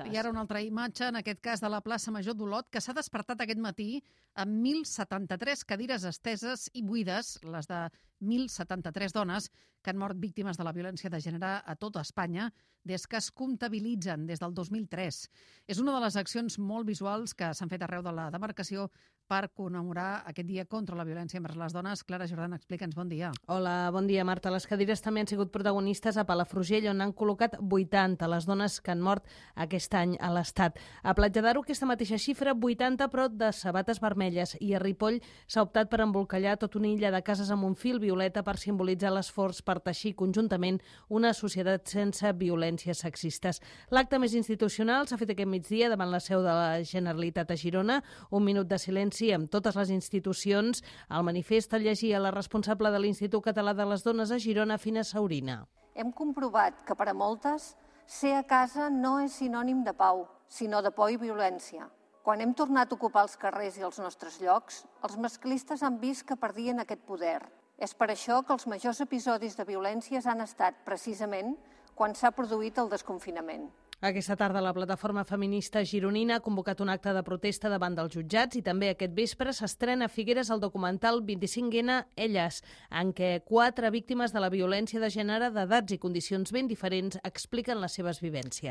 I ara una altra imatge, en aquest cas de la plaça Major d'Olot, que s'ha despertat aquest matí amb 1.073 cadires esteses i buides, les de 1.073 dones que han mort víctimes de la violència de gènere a tota Espanya des que es comptabilitzen des del 2003. És una de les accions molt visuals que s'han fet arreu de la demarcació per commemorar aquest dia contra la violència envers les dones. Clara Jordan, explica'ns, bon dia. Hola, bon dia, Marta. Les cadires també han sigut protagonistes a Palafrugell, on han col·locat 80 les dones que han mort aquest any a l'Estat. A Platja d'Aro, aquesta mateixa xifra, 80, però de sabates vermelles. I a Ripoll s'ha optat per embolcallar tota una illa de cases amb un fil violeta per simbolitzar l'esforç per teixir conjuntament una societat sense violències sexistes. L'acte més institucional s'ha fet aquest migdia davant la seu de la Generalitat a Girona. Un minut de silenci amb totes les institucions. El manifest el llegia la responsable de l'Institut Català de les Dones a Girona, Fina Saurina. Hem comprovat que per a moltes ser a casa no és sinònim de pau, sinó de por i violència. Quan hem tornat a ocupar els carrers i els nostres llocs, els masclistes han vist que perdien aquest poder. És per això que els majors episodis de violències han estat, precisament, quan s'ha produït el desconfinament. Aquesta tarda la plataforma feminista gironina ha convocat un acte de protesta davant dels jutjats i també aquest vespre s'estrena a Figueres el documental 25N Elles, en què 4 víctimes de la violència de gènere d'edats i condicions ben diferents expliquen les seves vivències.